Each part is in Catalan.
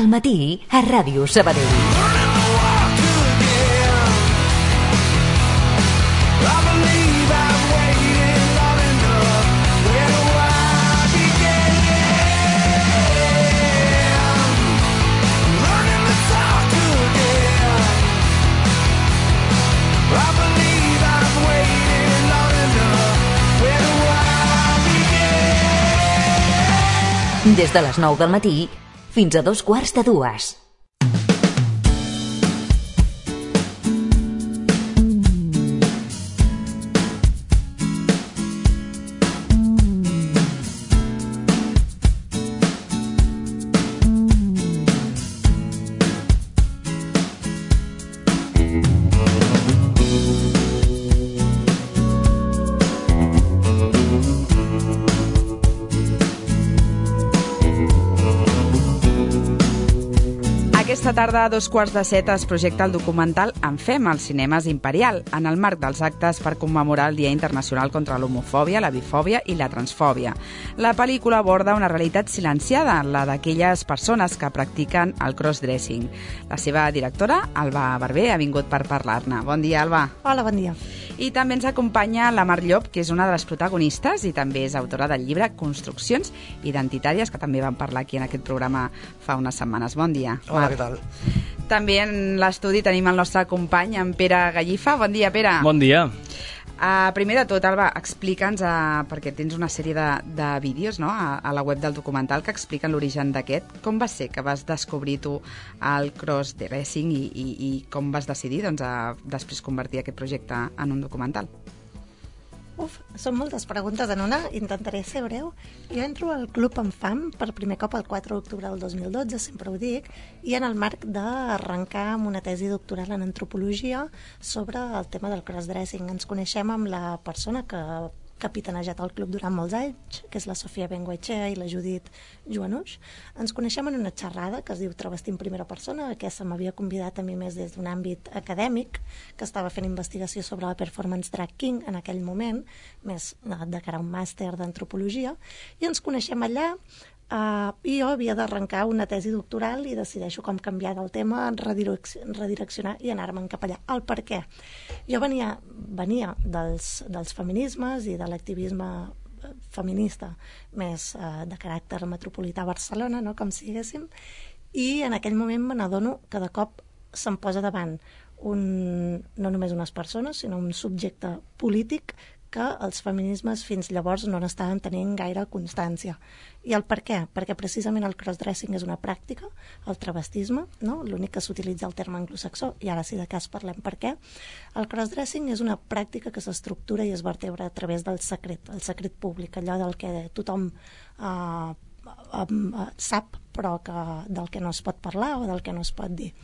Al matí, a Ràdio Sabadell. Des de les 9 del matí fins a 2:15. Aquesta tarda, a 2:15, es projecta el documental En Fem als cinemes Imperial, en el marc dels actes per commemorar el Dia Internacional contra l'Homofòbia, la Bifòbia i la Transfòbia. La pel·lícula aborda una realitat silenciada, la d'aquelles persones que practiquen el crossdressing. La seva directora, Alba Barber, ha vingut per parlar-ne. Bon dia, Alba. Hola, bon dia. I també ens acompanya la Mar Llop, que és una de les protagonistes i també és autora del llibre Construccions Identitàries, que també vam parlar aquí en aquest programa fa unes setmanes. Bon dia, Mar. Hola, què tal? També en l'estudi tenim el nostre company, en Pere Gallifa. Bon dia, Pere. Bon dia. Primer de tot, Alba, explica'ns, perquè tens una sèrie de vídeos, no?, a la web del documental que expliquen l'origen d'aquest. Com va ser que vas descobrir tu el crossdressing i com vas decidir després convertir aquest projecte en un documental? Són moltes preguntes en una, intentaré ser breu. Jo entro al Club En Fam per primer cop el 4 d'octubre del 2012, sempre ho dic, i en el marc d'arrencar amb una tesi doctoral en antropologia sobre el tema del crossdressing. Ens coneixem amb la persona que ha capitanejat el club durant molts anys, que és la Sofia Bengoechea i la Judit Joanuix. Ens coneixem en una xerrada que es diu Travestir en primera persona, que se m'havia convidat a mi més des d'un àmbit acadèmic, que estava fent investigació sobre la performance drag king en aquell moment, més de cara a un màster d'antropologia, i ens coneixem allà. I jo havia d'arrencar una tesi doctoral i decideixo com canviar del tema, redireccionar i anar-me'n cap allà. El per què? Jo venia dels feminismes i de l'activisme feminista més de caràcter metropolità a Barcelona, no?, com si diguéssim, i en aquell moment me n'adono que de cop se'm posa davant no només unes persones, sinó un subjecte polític que els feminismes fins llavors no n'estaven tenint gaire constància. I el per què? Perquè precisament el crossdressing és una pràctica, el travestisme, no?, l'únic que s'utilitza el terme anglosaxó, i ara si de cas parlem per què. El crossdressing és una pràctica que s'estructura i es vertebra a través del secret, el secret públic, allò del que tothom sap, però del que no es pot parlar o del que no es pot dir.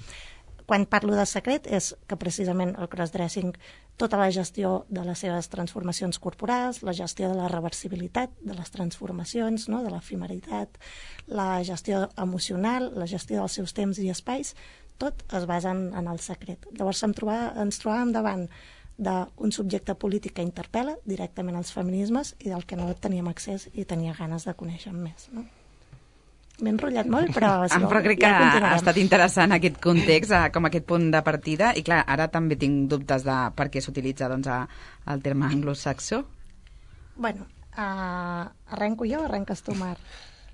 Quan parlo de secret és que precisament el crossdressing, tota la gestió de les seves transformacions corporals, la gestió de la reversibilitat de les transformacions, no?, de l'efemeritat, la gestió emocional, la gestió dels seus temps i espais, tot es basa en el secret. Llavors ens trobàvem davant d'un subjecte polític que interpel·la directament els feminismes i del que no teníem accés i tenia ganes de conèixer més, no? M'he enrotllat molt, però crec que ha estat interessant aquest context, com aquest punt de partida, i clar, ara també tinc dubtes de per què s'utilitza el terme anglosaxó. Bueno, arrenco jo o arrenques tu, Mar?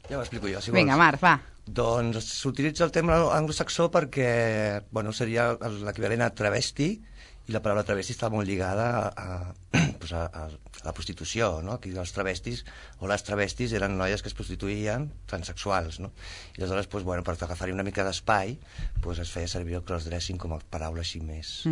Ja ho explico jo, si vols. Vinga, Mar, va. Doncs s'utilitza el terme anglosaxó perquè seria l'equivalent a travesti, i la paraula travesti està molt lligada a la prostitució, no? Aquí els travestis o les travestis eren noies que es prostituïen, transexuals, no? I aleshores, per agafar-hi una mica d'espai, es feia servir el crossdressing com a paraula així més...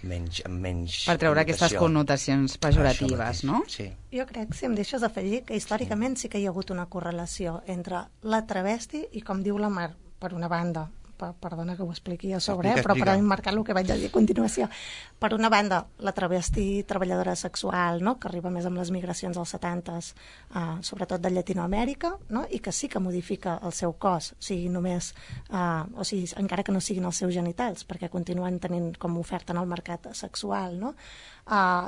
menys per treure aquestes connotacions pejoratives, no? Sí. Jo crec, si em deixes afegir, que històricament sí que hi ha hagut una correlació entre la travesti i, com diu la Mar, per una banda, perdona que ho expliqui a sobre, però per emmarcar el que vaig a dir a continuació. Per una banda, la travesti treballadora sexual, no?, que arriba més amb les migracions als 70s, sobretot de Llatinoamèrica, no?, i que sí que modifica el seu cos, encara que no siguin els seus genitals, perquè continuen tenint com oferta en el mercat sexual, no?,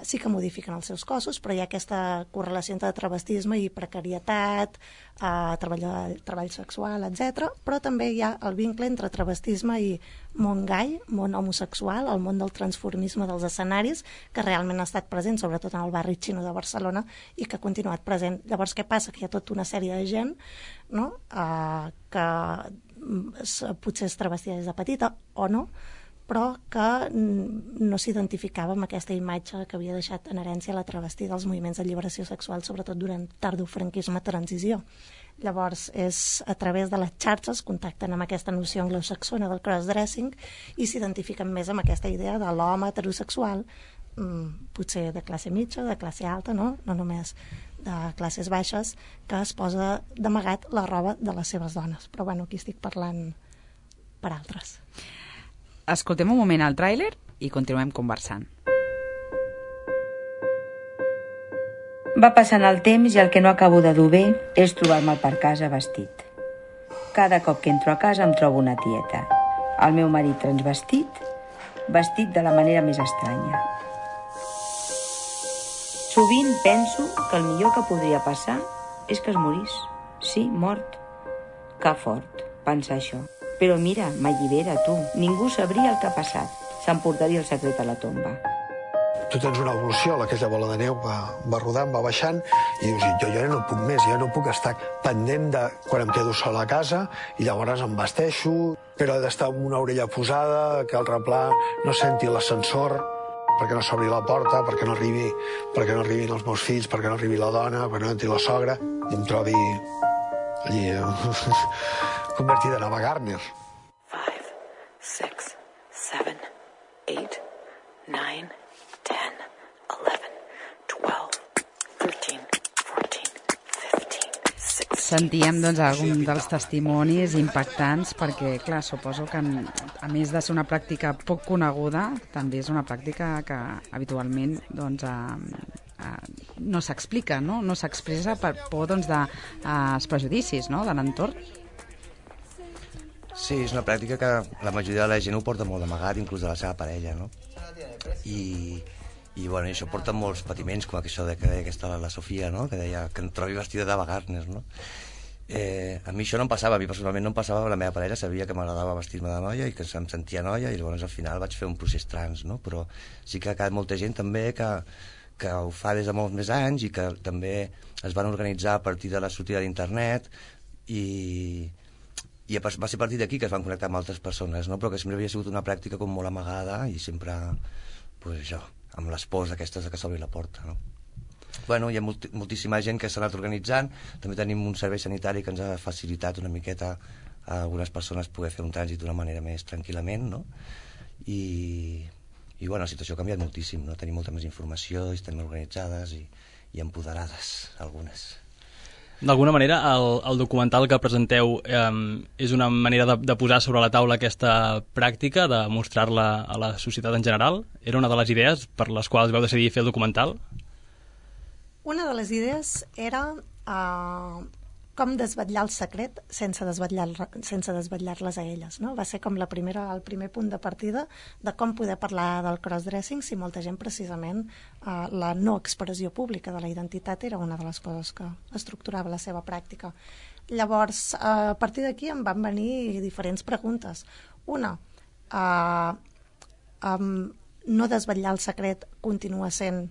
sí que modifiquen els seus cossos, però hi ha aquesta correlació entre travestisme i precarietat, treball sexual, etc. Però també hi ha el vincle entre travestisme i món gai, món homosexual, el món del transformisme dels escenaris, que realment ha estat present, sobretot en el barri xino de Barcelona, i que ha continuat present. Llavors, què passa? Que hi ha tota una sèrie de gent, no?, que potser es travestia des de petita o no, però que no s'identificava amb aquesta imatge que havia deixat en herència la travestida dels moviments de lliberació sexual, sobretot durant tardofranquisme transició. Llavors, és a través de les xarxes contacten amb aquesta noció anglosaxona del crossdressing i s'identifiquen més amb aquesta idea de l'home heterosexual, potser de classe mitja, de classe alta, no només de classes baixes, que es posa d'amagat la roba de les seves dones. Però bueno, aquí estic parlant per altres. Escoltem un moment el tràiler i continuem conversant. Va passant el temps i el que no acabo de dur bé és trobar-me per casa vestit. Cada cop que entro a casa em trobo una tieta. El meu marit transvestit, vestit de la manera més estranya. Sovint penso que el millor que podria passar és que es morís. Sí, mort. Que fort, pensar això. Però mira, m'allibera, tu. Ningú sabria el que ha passat. S'emportaria el secret a la tomba. Tu tens una evolució, aquella bola de neu va rodant, va baixant, i dius, jo ja no puc més, ja no puc estar pendent de quan em quedo sola a casa, i llavors em vesteixo, però he d'estar amb una orella posada, que el replà no senti l'ascensor, perquè no s'obri la porta, perquè no arribin els meus fills, perquè no arribi la dona, perquè no entri la sogra, i em trobi allí convertida en Ava Gardner. 5, 6, 7, 8, 9, 10, 11, 12, 13, 14, 15, 16... Sentíem doncs algun dels testimonis impactants perquè, clar, suposo que a més de ser una pràctica poc coneguda, també és una pràctica que habitualment doncs, no s'explica, no s'expressa per por doncs, dels prejudicis, no?, de l'entorn. Sí, és una pràctica que la majoria de la gent ho porta molt amagat, inclús de la seva parella, no? I bueno, això porta molts patiments, com això que deia aquesta la Sofia, no?, que deia que em trobi vestida d'Ava Gardner, no? A mi això no em passava, a mi personalment no em passava, la meva parella sabia que m'agradava vestir-me de noia i que em sentia noia, i llavors al final vaig fer un procés trans, no? Però sí que ha quedat molta gent també que ho fa des de molts més anys i que també es van organitzar a partir de la sortida d'internet i va ser a partir d'aquí que es van connectar amb altres persones, no? Però que sempre havia sigut una pràctica com molt amagada i sempre, pues això, amb les pors aquestes de que s'obri la porta, no? Bueno, hi ha moltíssima gent que s'ha anat organitzant, també tenim un servei sanitari que ens ha facilitat una miqueta a algunes persones poder fer un trànsit d'una manera més tranquil·lament, no? I bueno, la situació ha canviat moltíssim, no? Tenim molta més informació, estem organitzades i empoderades, algunes. D'alguna manera, el documental que presenteu és una manera de posar sobre la taula aquesta pràctica, de mostrar-la a la societat en general? Era una de les idees per les quals vau decidir fer el documental? Una de les idees era com desvetllar el secret sense desvetllar-les a elles, no? Va ser com el primer punt de partida de com poder parlar del crossdressing si molta gent, precisament, la no expressió pública de la identitat era una de les coses que estructurava la seva pràctica. Llavors, a partir d'aquí em van venir diferents preguntes. Una, no desvetllar el secret continua sent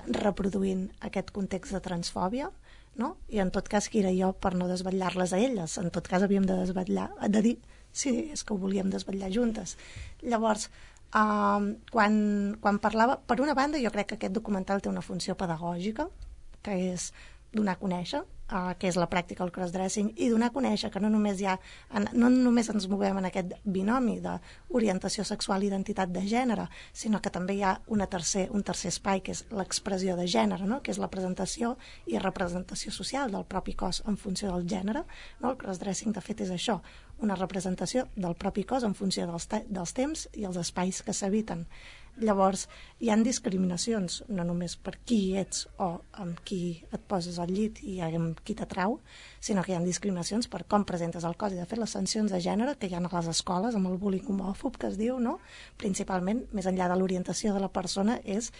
reproduint aquest context de transfòbia, no? I en tot cas, qui era jo per no desvetllar-les a elles? En tot cas, havíem de dir sí, és que ho volíem desvetllar juntes. Llavors, quan parlava, per una banda, jo crec que aquest documental té una funció pedagògica, que és donar a conèixer què és la pràctica del crossdressing i donar a conèixer que no només ens movem en aquest binomi d'orientació sexual i identitat de gènere, sinó que també hi ha un tercer espai, que és l'expressió de gènere, no? Que és la presentació i representació social del propi cos en funció del gènere, no? El crossdressing, de fet, és això, una representació del propi cos en funció dels temps i els espais que s'habiten. Llavors, hi ha discriminacions, no només per qui ets o amb qui et poses al llit i amb qui t'atrau, sinó que hi ha discriminacions per com presentes el cos. I de fet, les sancions de gènere que hi ha a les escoles, amb el bullying homòfob que es diu, no? Principalment, més enllà de l'orientació de la persona, és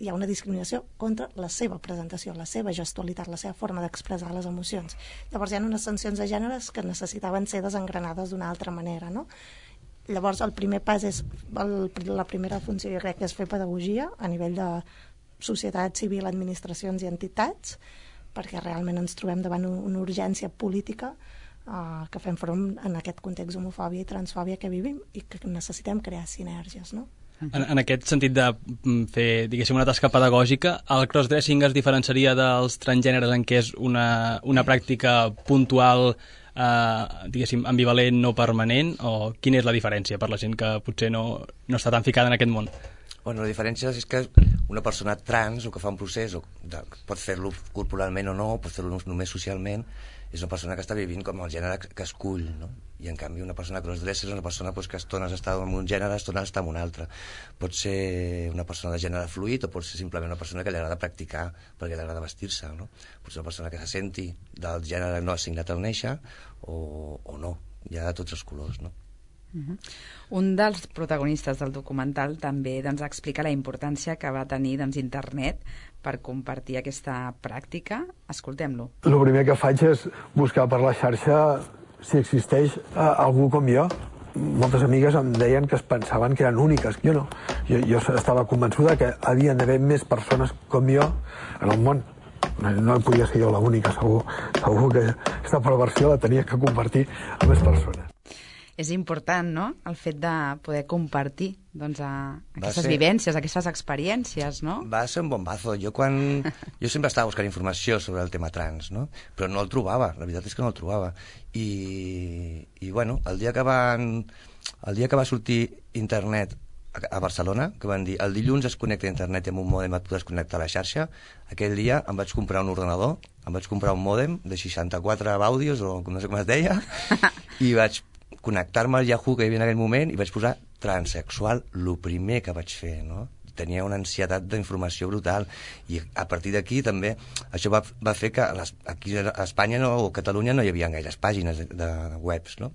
hi ha una discriminació contra la seva presentació, la seva gestualitat, la seva forma d'expressar les emocions. Llavors hi ha unes tensions de gèneres que necessitaven ser desengranades d'una altra manera, no? Llavors el primer pas és, la primera funció jo crec que és fer pedagogia a nivell de societat civil, administracions i entitats, perquè realment ens trobem davant una urgència política que fem front en aquest context d'homofòbia i transfòbia que vivim i que necessitem crear sinergies, no? En aquest sentit de fer, diguéssim, una tasca pedagògica, el crossdressing es diferenciaria dels transgèneres en què és una pràctica puntual, diguéssim, ambivalent, no permanent, o quina és la diferència per la gent que potser no està tan ficada en aquest món? Bueno, la diferència és que una persona trans, o que fa un procés, pot fer-lo corporalment o no, pot fer-lo només socialment, és una persona que està vivint com el gènere que escull, no? I en canvi una persona crossdresser és una persona que estones està en un gènere, estones està en un altre. Pot ser una persona de gènere fluid o pot ser simplement una persona que li agrada practicar perquè li agrada vestir-se, no? Pot ser una persona que se senti del gènere no assignat al néixer o no. Hi ha de tots els colors, no? Un dels protagonistes del documental també explica la importància que va tenir internet per compartir aquesta pràctica. Escoltem-lo. El primer que faig és buscar per la xarxa si existeix algú com jo. Moltes amigues em deien que es pensaven que eren úniques. Jo no. Jo estava convençuda que havien d'haver més persones com jo en el món. No podia ser jo l'única, segur que aquesta perversió la tenia que compartir amb més persones. És important, no?, el fet de poder compartir aquestes vivències, aquestes experiències, no? Va ser un bombazo. Jo sempre estava buscant informació sobre el tema trans, no? Però no el trobava, la veritat és que no el trobava. I bueno, el dia que va sortir internet a Barcelona, que van dir el dilluns es connecta a internet i amb un mòdem et podràs connectar a la xarxa, aquell dia em vaig comprar un ordenador, em vaig comprar un mòdem de 64 bàudios, o no sé com es deia, i vaig connectar-me al Yahoo que hi havia en aquell moment i vaig posar transexual, el primer que vaig fer, no? Tenia una ansietat d'informació brutal i a partir d'aquí també això va fer que aquí a Espanya o a Catalunya no hi havia gaires pàgines de webs, no?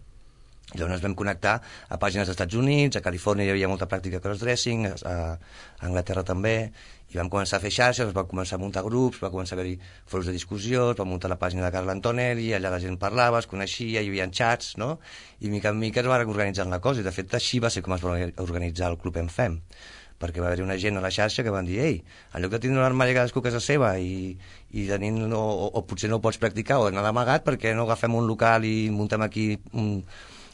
I llavors ens vam connectar a pàgines dels Estats Units, a Califòrnia hi havia molta pràctica de crossdressing, a Anglaterra també, i vam començar a fer xarxes, va començar a muntar grups, va començar a haver-hi fòrums de discussió, es va muntar la pàgina de Carla Antonelli, allà la gent parlava, es coneixia, hi havia xats, no? I mica en mica es va organitzar la cosa, i de fet així va ser com es va organitzar el Club en Fem, perquè va haver-hi una gent a la xarxa que van dir ei, en lloc de tindre un armari cadascú a casa seva i tenint, o potser no ho pots practicar o anar d'amagat, perquè no agafem un local i muntem aquí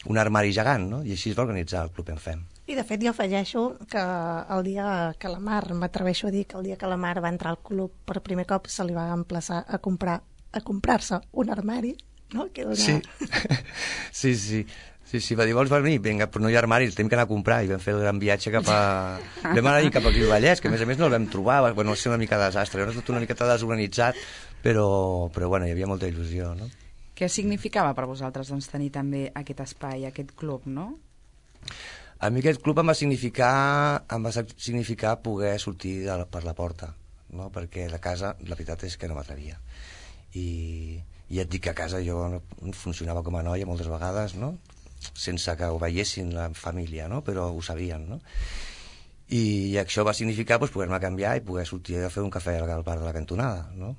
un armari gegant, no? I així es va organitzar el Club en Fem. I de fet jo afegeixo que el dia que la Mar, m'atreveixo a dir que el dia que la Mar va entrar al club per primer cop se li va emplaçar a comprar-se un armari, no? Que era Sí, va dir, vols venir? Vinga, però no hi ha armari, el tenim que anar a comprar, i vam fer el gran viatge vam anar cap aquí al Vallès, que a més no el vam trobar, bueno, va ser una mica desastre, era tot una miqueta desorganitzat, però bueno, hi havia molta il·lusió, no? Què significava per vosaltres tenir també aquest espai, aquest club, no? A mi aquest club em va significar poder sortir per la porta, no? Perquè a casa la veritat és que no m'atrevia. I et dic que a casa jo funcionava com a noia moltes vegades, no? Sense que ho veiessin la família, no? Però ho sabien, no? I això va significar poder-me canviar i poder sortir a fer un cafè al bar de la cantonada, no?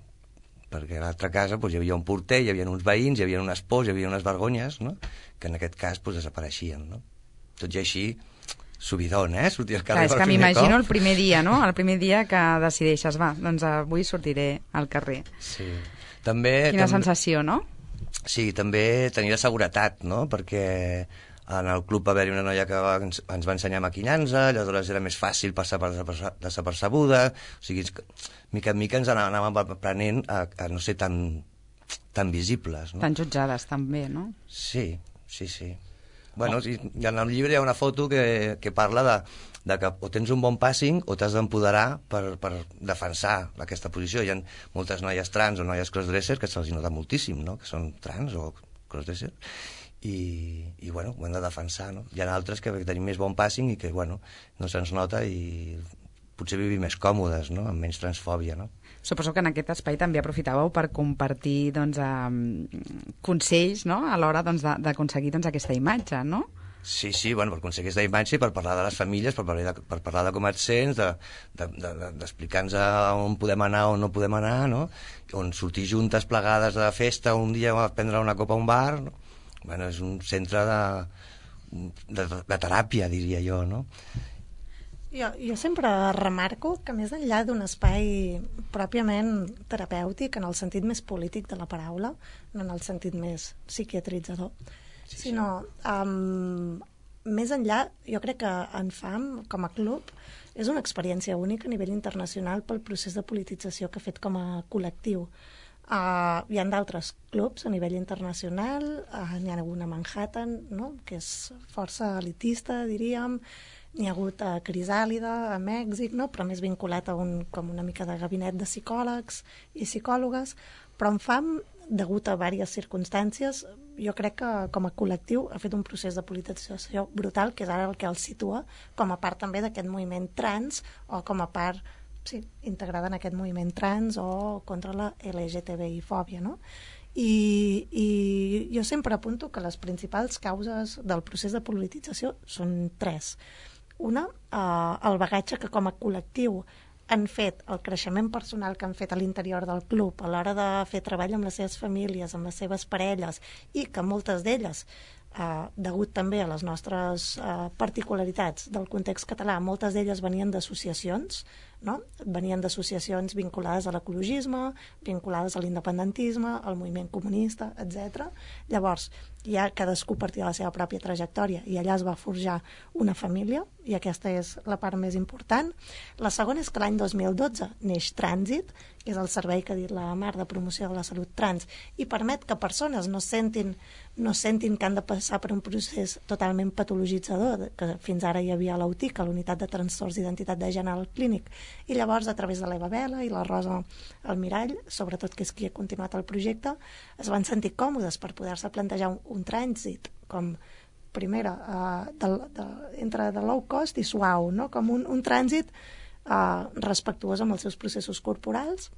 Perquè a l'altra casa hi havia un porter, hi havia uns veïns, hi havia unes pors, hi havia unes vergonyes, no? Que en aquest cas desapareixien, no? Tot i així, subidon, sortir al carrer per primer cop. És que m'imagino el primer dia, no? El primer dia que decideixes, doncs avui sortiré al carrer. Sí. Quina sensació, no? Sí, també tenir la seguretat, no? Perquè en el club va haver-hi una noia que ens va ensenyar maquillança, aleshores era més fàcil passar per desapercebuda, o sigui, mica en mica ens anàvem aprenent a no ser tan visibles, no? Tan jutjades també, no? Sí. Bueno, en el llibre hi ha una foto que parla de que o tens un bon passing o t'has d'empoderar per defensar aquesta posició. Hi ha moltes noies trans o noies crossdresser que se'ls nota moltíssim, no? Que són trans o crossdresser i bueno, ho hem de defensar, no? Hi ha altres que tenim més bon passing i que, bueno, no se'ns nota i potser vivim més còmodes, no? Amb menys transfòbia, no? Suposo que en aquest espai també aprofitàveu per compartir consells, no? A l'hora d'aconseguir aquesta imatge, no? Sí, bueno, per aconseguir aquesta imatge i per parlar de les famílies, per parlar de com et sents, d'explicar-nos on podem anar o no podem anar, no? On sortir juntes plegades de festa un dia a prendre una copa a un bar, no? Bueno, és un centre de teràpia, diria jo, no? Jo sempre remarco que més enllà d'un espai pròpiament terapèutic, en el sentit més polític de la paraula, no en el sentit més psiquiatritzador, sinó més enllà, jo crec que en FAM, com a club, és una experiència única a nivell internacional pel procés de politització que ha fet com a col·lectiu. Hi ha d'altres clubs a nivell internacional, n'hi ha hagut a Manhattan, no? Que és força elitista, diríem, n'hi ha hagut a Crisàlida, a Mèxic, no? Però més vinculat a com una mica de gabinet de psicòlegs i psicòlogues, però en FAM, degut a diverses circumstàncies, jo crec que com a col·lectiu ha fet un procés de politització brutal, que és ara el que el situa com a part també d'aquest moviment trans, o com a part integrada en aquest moviment trans o contra la LGTBI-fòbia, no? I jo sempre apunto que les principals causes del procés de politització són 3. Una, el bagatge que com a col·lectiu han fet, el creixement personal que han fet a l'interior del club a l'hora de fer treball amb les seves famílies, amb les seves parelles, i que moltes d'elles, degut també a les nostres particularitats del context català, moltes d'elles venien d'associacions, no? Venien d'associacions vinculades a l'ecologisme, vinculades a l'independentisme, al moviment comunista, etc. Llavors, ja cadascú partia de la seva pròpia trajectòria i allà es va forjar una família, i aquesta és la part més important. La segona és que l'any 2012 neix Trànsit, que és el servei que ha dit la Mar de promoció de la salut trans, i permet que persones no sentin que han de passar per un procés totalment patologitzador, que fins ara hi havia a l'UTIC, a l'Unitat de Trastorns d'Identitat de Gènere al Clínic, i llavors a través de l'Eva Vela i la Rosa Almirall, sobretot que és qui ha continuat el projecte, es van sentir còmodes per poder-se plantejar un trànsit com primera entre de low cost i suau, no? Com un trànsit respectuós amb els seus processos corporals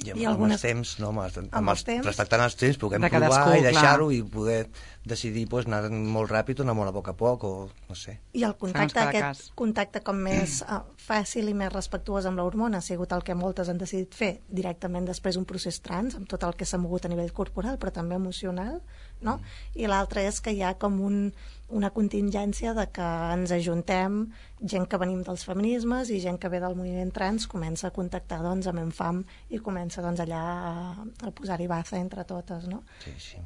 i amb els temps, no? Respectant els temps puguem de provar cadascú, i deixar-ho i poder decidir anar molt ràpid o anar molt a poc, o no sé. I el contacte, aquest contacte com més fàcil i més respectuós amb l'hormona ha sigut el que moltes han decidit fer directament després d'un procés trans, amb tot el que s'ha mogut a nivell corporal, però també emocional, no? I l'altre és que hi ha com una contingència de que ens ajuntem, gent que venim dels feminismes i gent que ve del moviment trans comença a contactar amb Enfam i comença allà a posar-hi baza entre totes, no? Sí.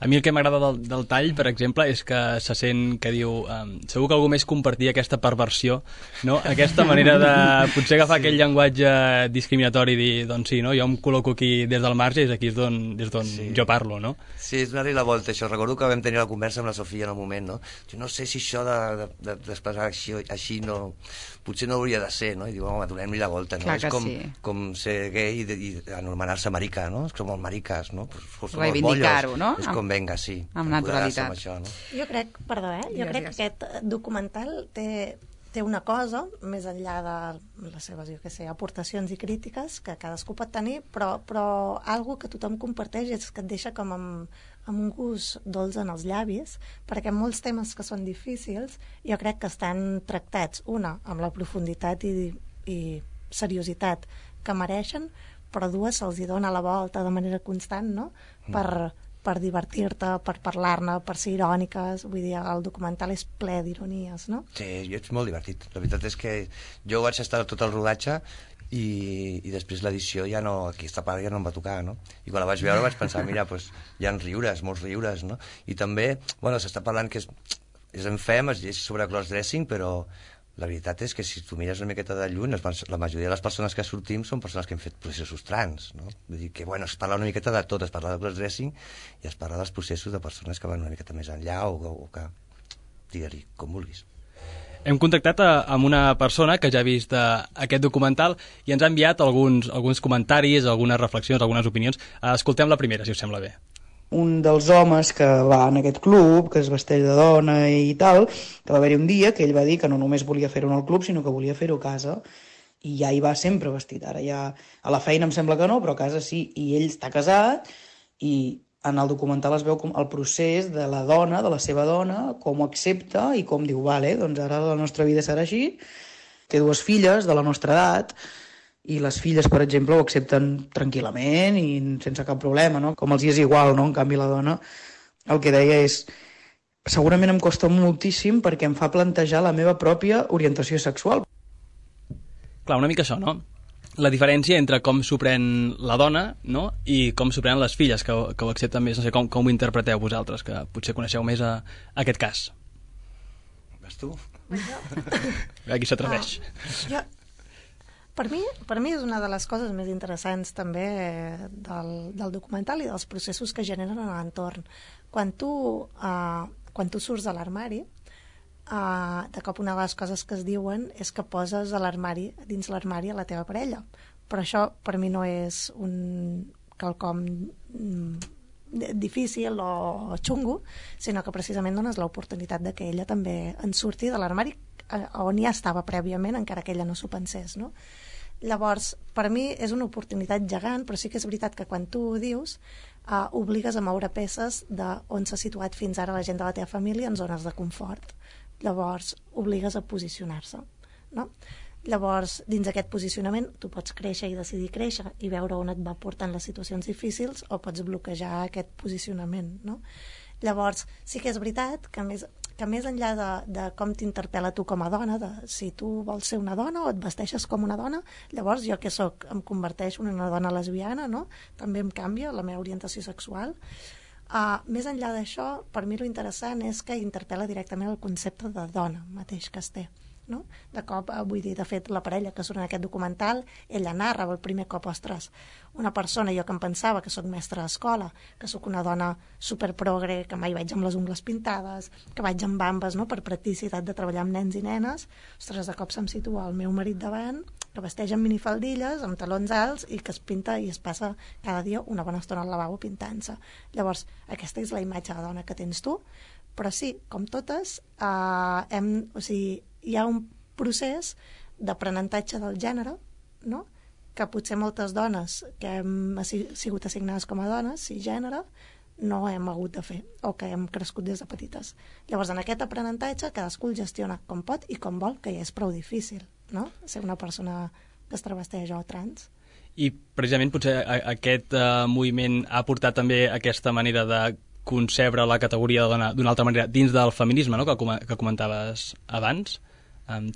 A mi el que m'agrada del tall, per exemple, és que se sent que diu segur que algú més compartia aquesta perversió, no? Aquesta manera de potser agafar aquell llenguatge discriminatori i dir, doncs sí, no? Jo em col·loco aquí des del marge i és aquí des d'on jo parlo, no? Sí, és donar-li la volta, això. Recordo que vam tenir la conversa amb la Sofia en el moment, no? Jo no sé si això d'expressar així no... potser no hauria de ser, no? I diu, home, donem-li la volta, no? Clar que és com ser gay i anomenar-se marica, no? És com els mariques, no? Reivindicar-ho, no? És com venga, sí. Amb naturalitat. Amb això, no? Jo crec, jo crec que aquest documental té una cosa, més enllà de les seves, jo què sé, aportacions i crítiques que cadascú pot tenir, però algo que tothom comparteix és que et deixa com amb un gust dolç en els llavis, perquè molts temes que són difícils jo crec que estan tractats, una, amb la profunditat i seriositat que mereixen, però dues, se'ls hi dona la volta de manera constant, no? Per divertir-te, per parlar-ne, per ser iròniques. Vull dir, el documental és ple d'ironies, no? Sí, és molt divertit. La veritat és que jo vaig estar tot el rodatge i després l'edició ja no, aquesta part ja no em va tocar, no? I quan la vaig veure vaig pensar, mira, doncs hi ha riures, molts riures, no? I també, bueno, s'està parlant que és en fem, es lleig sobre crossdressing, però la veritat és que si tu mires una miqueta de lluny, la majoria de les persones que sortim són persones que han fet processos trans, no? Vull dir que, bueno, es parla una miqueta de tot, es parla de crossdressing i es parla dels processos de persones que van una miqueta més enllà o que, digue-li, com vulguis. Hem contactat amb una persona que ja ha vist aquest documental i ens ha enviat alguns comentaris, algunes reflexions, algunes opinions. Escoltem la primera, si us sembla bé. Un dels homes que va en aquest club, que es vesteix de dona i tal, que va haver-hi un dia que ell va dir que no només volia fer-ho en el club, sinó que volia fer-ho a casa, i ja hi va sempre vestit. Ara ja a la feina em sembla que no, però a casa sí, i ell està casat i En el documental es veu com el procés de la dona, de la seva dona, com ho accepta i com diu, vale, doncs ara la nostra vida serà així. Té 2 filles de la nostra edat i les filles, per exemple, ho accepten tranquil·lament i sense cap problema, no? Com els hi és igual, no? En canvi, la dona el que deia és segurament em costa moltíssim perquè em fa plantejar la meva pròpia orientació sexual. Clar, una mica això, no? La diferència entre com s'ho pren la dona, no?, i com s'ho prenen les filles, que ho accepten més. No sé, com ho interpreteu vosaltres, que potser coneixeu més aquest cas. Vas tu? Aquí s'atreveix. Per mi és una de les coses més interessants també del documental i dels processos que generen a l'entorn. Quan tu surts de l'armari, de cop una de les coses que es diuen és que poses dins l'armari a la teva parella. Però això per mi no és un quelcom difícil o xungo, sinó que precisament dones l'oportunitat de que ella també en surti de l'armari on ja estava prèviament, encara que ella no s'ho pensés, no? Llavors, per mi és una oportunitat gegant, però sí que és veritat que quan tu ho dius, obligues a moure peces d'on s'ha situat fins ara la gent de la teva família en zones de confort. Llavors, obligues a posicionar-se, no? Llavors, dins aquest posicionament, tu pots créixer i decidir créixer i veure on et va portant les situacions difícils o pots bloquejar aquest posicionament, no? Llavors, sí que és veritat que més enllà de com t'interpel·la tu com a dona, de si tu vols ser una dona o et vesteixes com una dona, llavors jo què soc? Em converteixo en una dona lesbiana, no? També em canvia la meva orientació sexual. Més enllà d'això, per mi lo interessant és que interpel·la directament el concepte de dona mateix que es té, no? De cop, vull dir, de fet, la parella que surt en aquest documental, ella narra el primer cop, ostres, una persona, jo que em pensava que sóc mestra d'escola, que sóc una dona superprogre, que mai vaig amb les ungles pintades, que vaig amb bambes, no?, per practicitat de treballar amb nens i nenes, ostres, de cop se'm situa el meu marit davant, que vesteix amb minifaldilles, amb talons alts i que es pinta i es passa cada dia una bona estona al lavabo pintant-se. Llavors, aquesta és la imatge de dona que tens tu, però sí, com totes, hi ha un procés d'aprenentatge del gènere, no?, que potser moltes dones que hem sigut assignades com a dones, cisgènere, no hem hagut de fer, o que hem crescut des de petites. Llavors, en aquest aprenentatge, cadascú el gestiona com pot i com vol, que ja és prou difícil, no?, ser una persona que es travesteix o trans. I precisament potser aquest moviment ha portat també aquesta manera de concebre la categoria de dona d'una altra manera dins del feminisme, no?, que comentaves abans.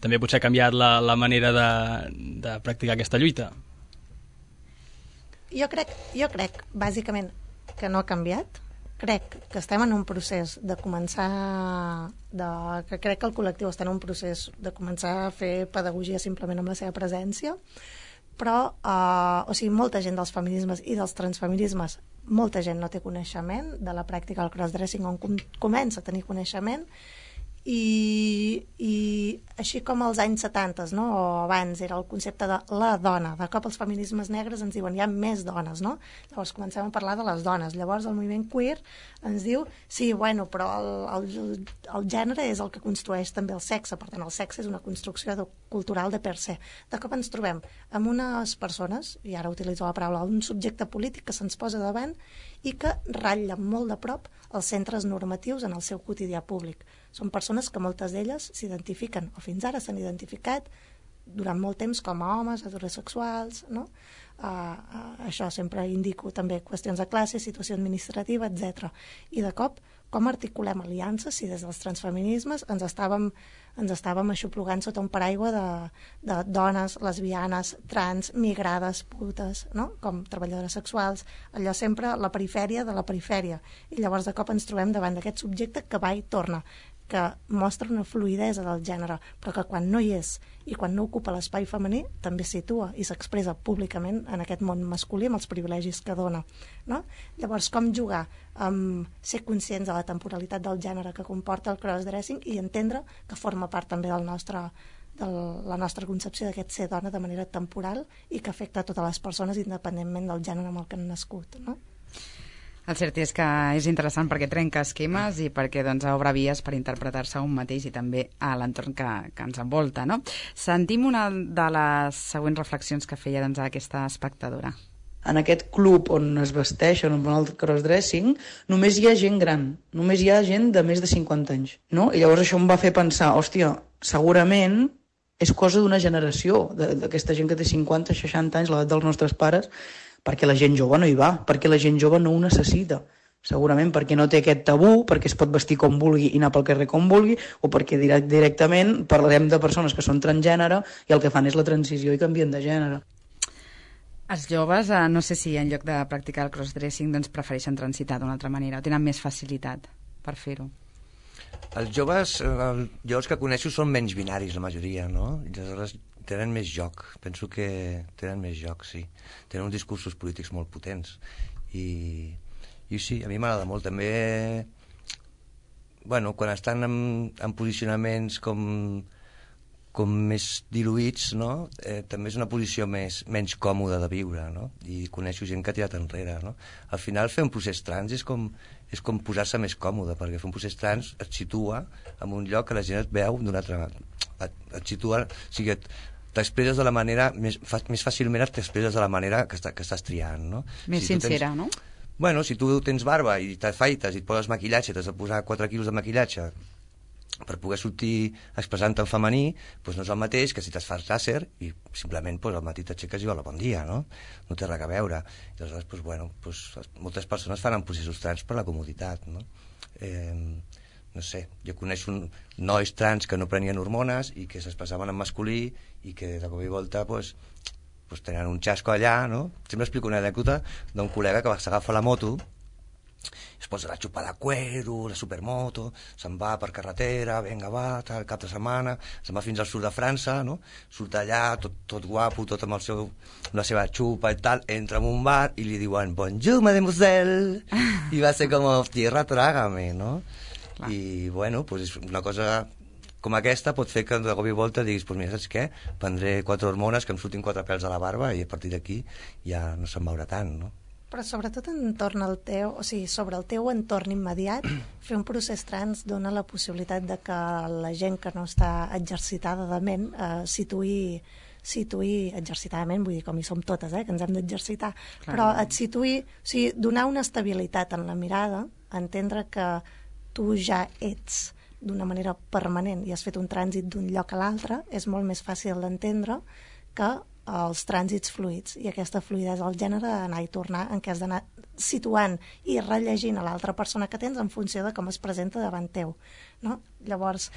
També potser ha canviat la manera de practicar aquesta lluita. Jo crec, bàsicament, que no ha canviat. Crec que estem en un procés de començar... que crec que el col·lectiu està en un procés de començar a fer pedagogia simplement amb la seva presència, però, molta gent dels feminismes i dels transfeminismes, molta gent no té coneixement de la pràctica del crossdressing, on comença a tenir coneixement, i així com als anys 70, no?, o abans era el concepte de la dona, de cop els feminismes negres ens diuen hi ha més dones, no? Llavors comencem a parlar de les dones, llavors el moviment queer ens diu sí, bueno, però el gènere és el que construeix també el sexe, per tant el sexe és una construcció cultural de per se. De cop ens trobem amb unes persones, i ara utilitzo la paraula, un subjecte polític que se'ns posa davant i que ratlla molt de prop els centres normatius en el seu quotidià públic. Són persones que moltes d'elles s'identifiquen, o fins ara s'han identificat durant molt temps com a homes, heterosexuals, no? Això sempre indico també qüestions de classe, situació administrativa, etc. I de cop, com articulem aliances si des dels transfeminismes ens estàvem aixoplugant sota un paraigua de dones, lesbianes, trans, migrades, putes, no?, com treballadores sexuals, allò sempre la perifèria de la perifèria. I llavors de cop ens trobem davant d'aquest subjecte que va i torna, que mostra una fluïdesa del gènere, però que quan no hi és i quan no ocupa l'espai femení també es situa i s'expressa públicament en aquest món masculí amb els privilegis que dona, no? Llavors, com jugar amb ser conscients de la temporalitat del gènere que comporta el crossdressing i entendre que forma part també de la nostra concepció d'aquest ser dona de manera temporal i que afecta a totes les persones independentment del gènere amb el que han nascut, no? El cert és que és interessant perquè trenca esquemes i perquè obre vies per interpretar-se a un mateix i també a l'entorn que ens envolta, no? Sentim una de les següents reflexions que feia aquesta espectadora. en aquest club on es vesteixen, on van al crossdressing, només hi ha gent gran, només hi ha gent de més de 50 anys, no? I llavors això em va fer pensar, hòstia, segurament és cosa d'una generació, d'aquesta gent que té 50, 60 anys, l'edat dels nostres pares, perquè la gent jove no hi va, perquè la gent jove no ho necessita. Segurament perquè no té aquest tabú, perquè es pot vestir com vulgui i anar pel carrer com vulgui, o perquè directament parlarem de persones que són transgènere i el que fan és la transició i canvien de gènere. Els joves, no sé si en lloc de practicar el crossdressing doncs prefereixen transitar d'una altra manera o tenen més facilitat per fer-ho. Els joves, jo els que coneixo són menys binaris, la majoria, no? I aleshores tenen més joc, penso que tenen més joc, sí. Tenen uns discursos polítics molt potents i sí, a mi m'agrada molt. També, bueno, quan estan en posicionaments com més diluïts, no? També és una posició menys còmoda de viure, no? I coneixo gent que ha tirat enrere, no? Al final, fer un procés trans és com posar-se més còmode, perquè fer un procés trans et situa en un lloc que la gent et veu d'una altra... Et situa... O sigui, t'expresses de la manera... Més fàcilment t'expresses de la manera que estàs triant, no? Més sincera, no? Bueno, si tu tens barba i t'afaites i et poses maquillatge, t'has de posar 4 quilos de maquillatge per poder sortir expressant-te en femení, doncs no és el mateix que si t'es fas làser i simplement al matí t'aixeques i hola, bon dia, no? No té res a veure. I aleshores, moltes persones fan processos trans per la comoditat, no? No sé, jo coneixo nois trans que no prenien hormones i que s'expressaven en masculí i que de cop i volta, tenen un xasco allà, no? Sempre explico una anècdota d'un col·lega que s'agafa la moto, es posa la xupa de cuero, la supermoto, se'n va per carretera, vinga, va, tal, cap de setmana, se'n va fins al sud de França, no? Surt allà, tot guapo, tot amb la seva xupa i tal, entra en un bar i li diuen bonjour, mademoiselle, i va ser com, tierra, trágame, no? Clar. I, bueno, és una cosa... com aquesta pot fer que de cop i volta diguis, mira, saps què? Prendré 4 hormones, que em surtin 4 pèls a la barba i a partir d'aquí ja no se'n veurà tant, no? Però sobretot sobre el teu entorn immediat, fer un procés trans dona la possibilitat de que la gent que no està exercitada de ment situï exercitadament, vull dir, com hi som totes, que ens hem d'exercitar, però et situï, donar una estabilitat en la mirada, entendre que tu ja ets d'una manera permanent i has fet un trànsit d'un lloc a l'altre, és molt més fàcil d'entendre que els trànsits fluids, i aquesta fluidesa del gènere d'anar i tornar, en què has d'anar situant i rellegint a l'altra persona que tens en funció de com es presenta davant teu, no? Llavors,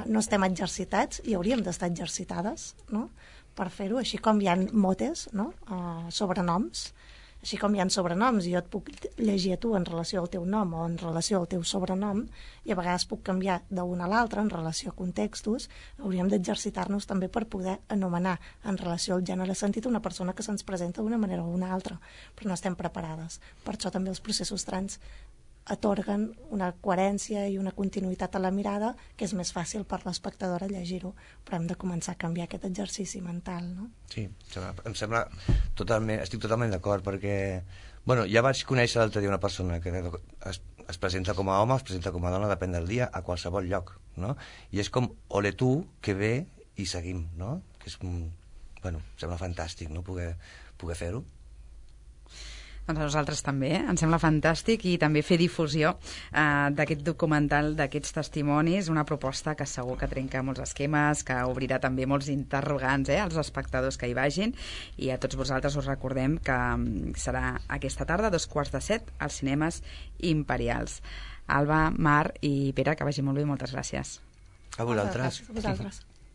no estem exercitats i hauríem d'estar exercitades, no? Per fer-ho, així com hi ha motes, no? Sobrenoms, així com hi ha sobrenoms i jo et puc llegir a tu en relació al teu nom o en relació al teu sobrenom, i a vegades puc canviar d'un a l'altre en relació a contextos, hauríem d'exercitar-nos també per poder anomenar en relació al gènere sentit una persona que se'ns presenta d'una manera o una altra, però no estem preparades. Per això també els processos trans atorguen una coherència i una continuïtat a la mirada que és més fàcil per l'espectadora llegir-ho, però hem de començar a canviar aquest exercici mental, no? Sí, em sembla totalment, estic totalment d'acord, perquè ja vaig conèixer l'altre dia una persona que es presenta com a home, es presenta com a dona, depèn del dia, a qualsevol lloc, no? I és com, ole tu, que bé, i seguim, no? Que és, em sembla fantàstic, no? Poder fer-ho. Doncs a nosaltres també, ens sembla fantàstic, i també fer difusió d'aquest documental, d'aquests testimonis, una proposta que segur que trenca molts esquemes, que obrirà també molts interrogants als espectadors que hi vagin, i a tots vosaltres us recordem que serà aquesta tarda, 7:15, als cinemes Imperials. Alba, Mar i Pere, que vagi molt bé, moltes gràcies. A vosaltres. A vosaltres.